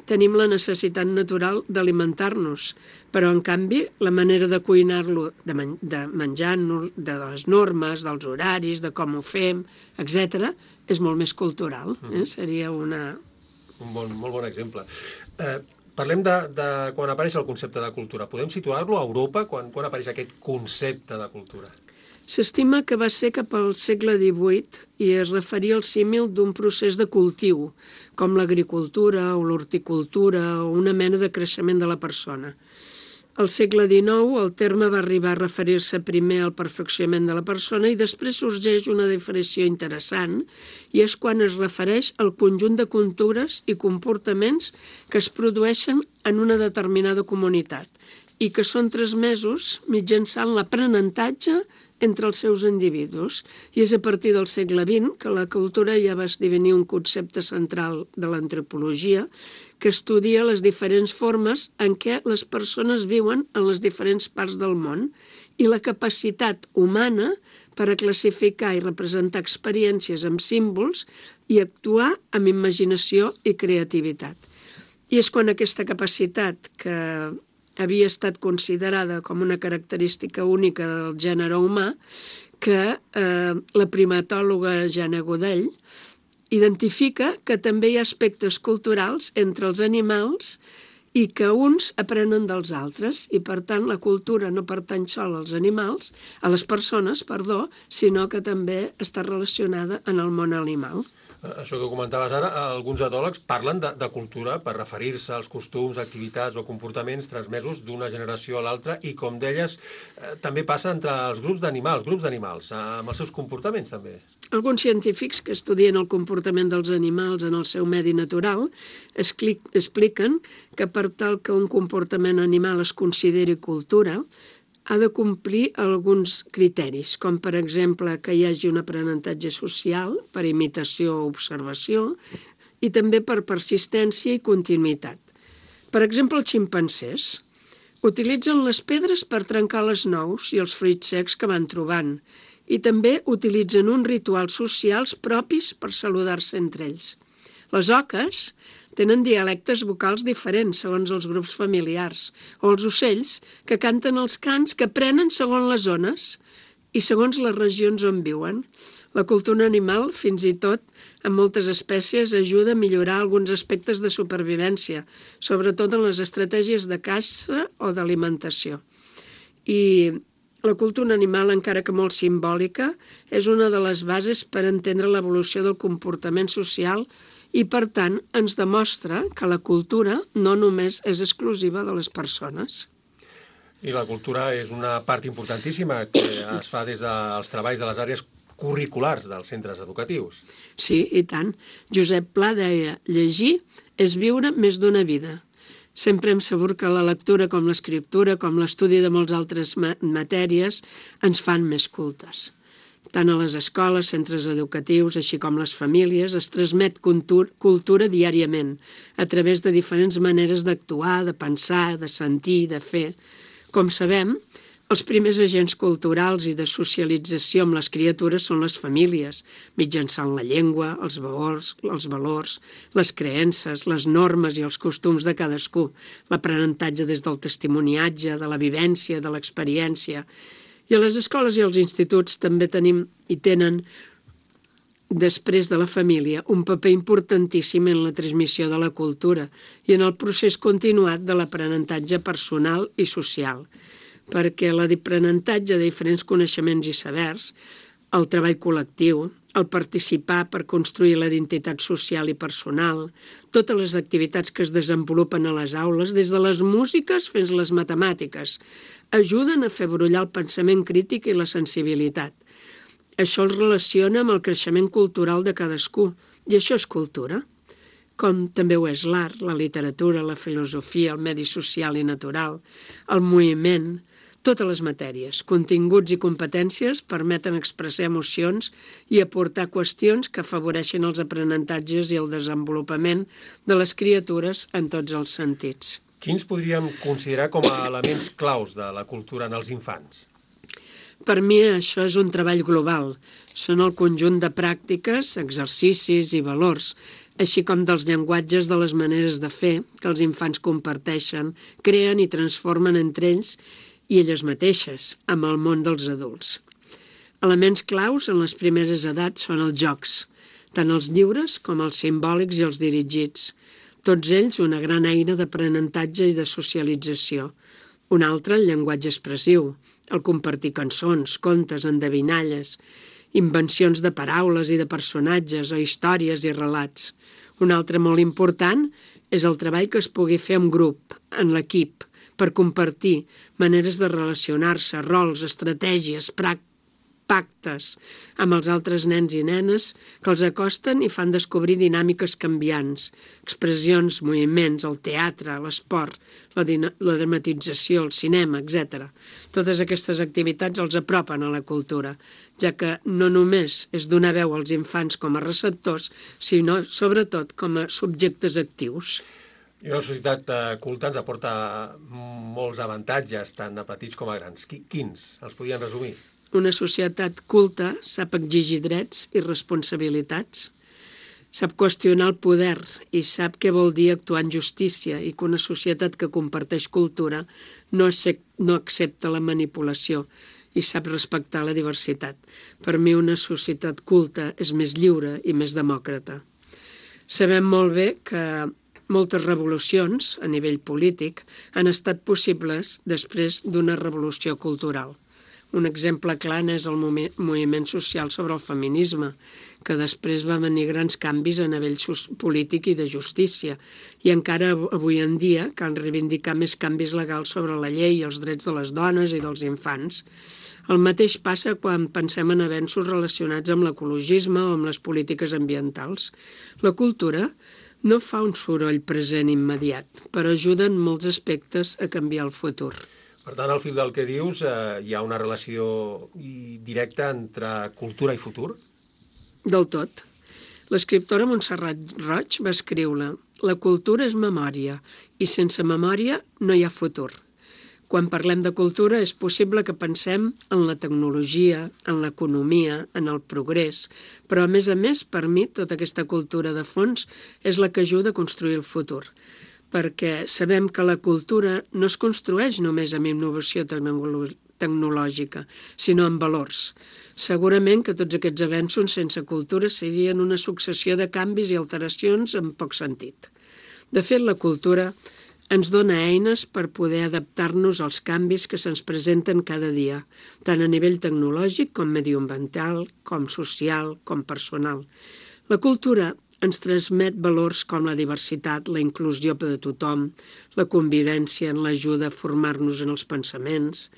tenim la necessitat natural d'alimentar-nos, però en canvi la manera de cuinar-lo, de menjar-nos, de les normes, dels horaris, de com ho fem, etc., és molt més cultural. Seria una... Un molt bon exemple. Parlem de quan apareix el concepte de cultura. Podem situar-lo a Europa quan apareix aquest concepte de cultura? S'estima que va ser cap al segle XVIII i es referia al símil d'un procés de cultiu, com l'agricultura o l'horticultura o una mena de creixement de la persona. Al segle XIX el terme va arribar a referir-se primer al perfeccionament de la persona i després sorgeix una diferenciació interessant i és quan es refereix al conjunt de cultures i comportaments que es produeixen en una determinada comunitat i que són transmesos mitjançant l'aprenentatge entre els seus individus. I és a partir del segle XX que la cultura ja va esdevenir un concepte central de l'antropologia que estudia les diferents formes en què les persones viuen en les diferents parts del món i la capacitat humana per a classificar i representar experiències amb símbols i actuar amb imaginació i creativitat. I és quan aquesta capacitat que havia estat considerada com una característica única del gènere humà que la primatòloga Jana Godell identifica que també hi ha aspectes culturals entre els animals i que uns aprenen dels altres i, per tant, la cultura no pertany sol als animals, a les persones, sinó que també està relacionada en el món animal. Això que comentaves ara, alguns etòlegs parlen de cultura per referir-se als costums, activitats o comportaments transmesos d'una generació a l'altra i, com deies, també passa entre els grups d'animals, amb els seus comportaments també. Alguns científics que estudien el comportament dels animals en el seu medi natural expliquen que per tal que un comportament animal es consideri cultura, ha de complir alguns criteris, com per exemple que hi hagi un aprenentatge social per imitació o observació i també per persistència i continuïtat. Per exemple, els ximpancers utilitzen les pedres per trencar les nous i els fruits secs que van trobant i també utilitzen uns rituals socials propis per saludar-se entre ells. Les oques tenen dialectes vocals diferents segons els grups familiars, o els ocells que canten els cants que prenen segons les zones i segons les regions on viuen. La cultura animal, fins i tot, en moltes espècies, ajuda a millorar alguns aspectes de supervivència, sobretot en les estratègies de caça o d'alimentació. I la cultura animal, encara que molt simbòlica, és una de les bases per entendre l'evolució del comportament social i, per tant, ens demostra que la cultura no només és exclusiva de les persones. I la cultura és una part importantíssima que es fa des dels treballs de les àrees curriculars dels centres educatius. Sí, i tant. Josep Pla deia, llegir és viure més d'una vida. Sempre hem sabut que la lectura, com l'escriptura, com l'estudi de moltes altres matèries, ens fan més cultes. Tant a les escoles, centres educatius, així com les famílies, es transmet cultura diàriament, a través de diferents maneres d'actuar, de pensar, de sentir, de fer. Com sabem, els primers agents culturals i de socialització amb les criatures són les famílies, mitjançant la llengua, els valors, les creences, les normes i els costums de cadascú, l'aprenentatge des del testimoniatge, de la vivència, de l'experiència. I a les escoles i als instituts també tenim i tenen, després de la família, un paper importantíssim en la transmissió de la cultura i en el procés continuat de l'aprenentatge personal i social, perquè l'aprenentatge de diferents coneixements i sabers, el treball col·lectiu, el participar per construir la identitat social i personal, totes les activitats que es desenvolupen a les aules, des de les músiques fins a les matemàtiques, ajuden a fer brollar el pensament crític i la sensibilitat. Això els relaciona amb el creixement cultural de cadascú, i això és cultura, com també ho és l'art, la literatura, la filosofia, el medi social i natural, el moviment. Totes les matèries, continguts i competències permeten expressar emocions i aportar qüestions que afavoreixen els aprenentatges i el desenvolupament de les criatures en tots els sentits. Quins podríem considerar com a elements claus de la cultura en els infants? Per mi això és un treball global. Són el conjunt de pràctiques, exercicis i valors, així com dels llenguatges de les maneres de fer que els infants comparteixen, creen i transformen entre ells i elles mateixes, amb el món dels adults. Elements claus en les primeres edats són els jocs, tant els lliures com els simbòlics i els dirigits. Tots ells una gran eina d'aprenentatge i de socialització. Un altre, el llenguatge expressiu, el compartir cançons, contes, endevinalles, invencions de paraules i de personatges o històries i relats. Un altre molt important és el treball que es pugui fer en grup, en l'equip, per compartir maneres de relacionar-se, rols, estratègies, pactes amb els altres nens i nenes que els acosten i fan descobrir dinàmiques canviants, expressions, moviments, el teatre, l'esport, la dramatització, el cinema, etc. Totes aquestes activitats els apropen a la cultura, ja que no només és donar veu als infants com a receptors, sinó sobretot com a subjectes actius. I una societat culta ens aporta molts avantatges, tant a petits com a grans. Quins? Els podien resumir? Una societat culta sap exigir drets i responsabilitats, sap qüestionar el poder i sap què vol dir actuar en justícia i que una societat que comparteix cultura no accepta la manipulació i sap respectar la diversitat. Per mi una societat culta és més lliure i més demòcrata. Sabem molt bé que moltes revolucions a nivell polític han estat possibles després d'una revolució cultural. Un exemple clar és el moviment social sobre el feminisme, que després va venir grans canvis a nivell polític i de justícia, i encara avui en dia cal reivindicar més canvis legals sobre la llei i els drets de les dones i dels infants. El mateix passa quan pensem en avenços relacionats amb l'ecologisme o amb les polítiques ambientals. La cultura no fa un soroll present immediat, però ajuda en molts aspectes a canviar el futur. Per tant, al fil del que dius, hi ha una relació directa entre cultura i futur? Del tot. L'escriptora Montserrat Roig va escriure: «La cultura és memòria, i sense memòria no hi ha futur». Quan parlem de cultura és possible que pensem en la tecnologia, en l'economia, en el progrés, però a més, per mi, tota aquesta cultura de fons és la que ajuda a construir el futur, perquè sabem que la cultura no es construeix només amb innovació tecnològica, sinó amb valors. Segurament que tots aquests avenços sense cultura serien una successió de canvis i alteracions amb poc sentit. De fet, la cultura ens dona eines per poder adaptar-nos als canvis que se'ns presenten cada dia, tant a nivell tecnològic com mediambiental, com social, com personal. La cultura ens transmet valors com la diversitat, la inclusió de tothom, la convivència, en l'ajuda a formar-nos en els pensaments.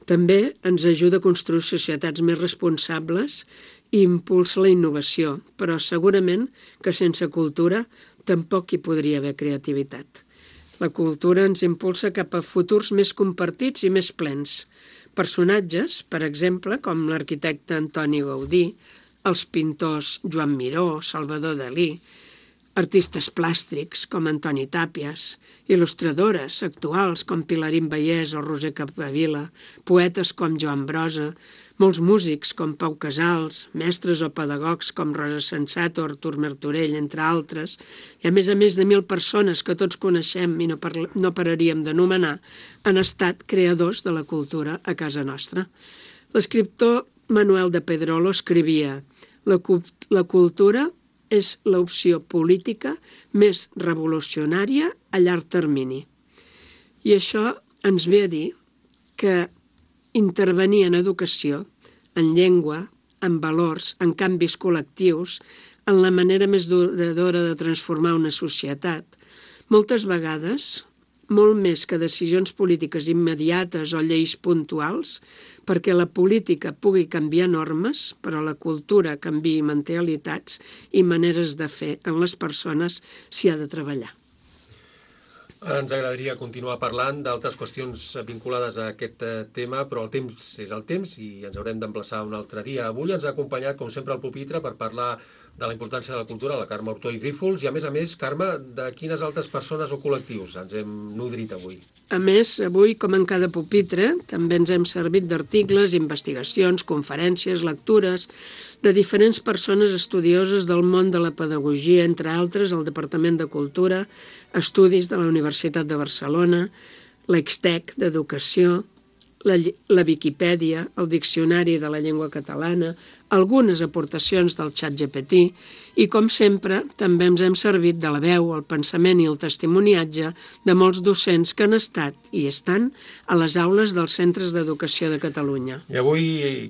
També ens ajuda a construir societats més responsables i impulsa la innovació, però segurament que sense cultura tampoc hi podria haver creativitat. La cultura ens impulsa cap a futurs més compartits i més plens. Personatges, per exemple, com l'arquitecte Antoni Gaudí, els pintors Joan Miró, Salvador Dalí, artistes plàstics com Antoni Tàpies, il·lustradores actuals com Pilarín Vallès o Roser Capdevila, poetes com Joan Brossa, molts músics com Pau Casals, mestres o pedagogs com Rosa Sensato o Artur Martorell, entre altres, i a més de 1.000 persones que tots coneixem i no pararíem d'anomenar, han estat creadors de la cultura a casa nostra. L'escriptor Manuel de Pedrolo escrivia: «La cultura és l'opció política més revolucionària a llarg termini». I això ens ve a dir que intervenir en educació, en llengua, en valors, en canvis col·lectius, en la manera més duradora de transformar una societat. Moltes vegades, molt més que decisions polítiques immediates o lleis puntuals, perquè la política pugui canviar normes, però la cultura canviï mentalitats i maneres de fer en les persones s'hi ha de treballar. Ara ens agradaria continuar parlant d'altres qüestions vinculades a aquest tema, però el temps és el temps i ens haurem d'emplaçar un altre dia. Avui ens ha acompanyat, com sempre, al pupitre per parlar de la importància de la cultura, la Carme Ortó i Grífols, i a més, Carme, de quines altres persones o col·lectius ens hem nodrit avui? A més, avui, com en cada pupitre, també ens hem servit d'articles, investigacions, conferències, lectures, de diferents persones estudioses del món de la pedagogia, entre altres el Departament de Cultura, Estudis de la Universitat de Barcelona, l'Extec d'Educació, la Viquipèdia, el Diccionari de la Llengua Catalana, algunes aportacions del ChatGPT i, com sempre, també ens hem servit de la veu, el pensament i el testimoniatge de molts docents que han estat i estan a les aules dels centres d'educació de Catalunya. I avui,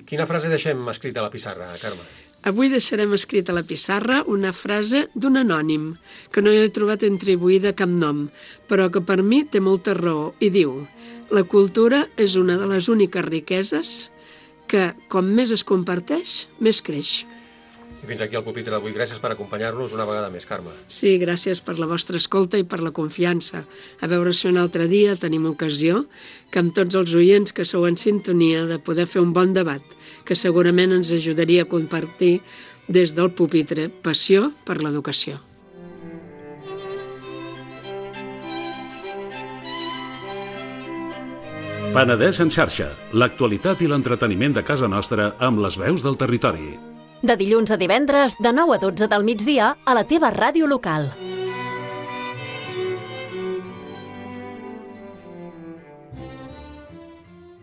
quina frase deixem escrita a la pissarra, Carme? Avui deixarem escrita a la pissarra una frase d'un anònim, que no hi he trobat atribuïda cap nom, però que per mi té molta raó, i diu: la cultura és una de les úniques riqueses que, com més es comparteix, més creix. I fins aquí el pupitre d'avui. Gràcies per acompanyar-nos una vegada més, Carme. Sí, gràcies per la vostra escolta i per la confiança. A veure si un altre dia tenim ocasió que amb tots els oients que sou en sintonia de poder fer un bon debat, que segurament ens ajudaria a compartir des del pupitre passió per l'educació. Penedès en xarxa, l'actualitat i l'entreteniment de casa nostra amb les veus del territori. De dilluns a divendres, de 9 a 12 del migdia, a la teva ràdio local.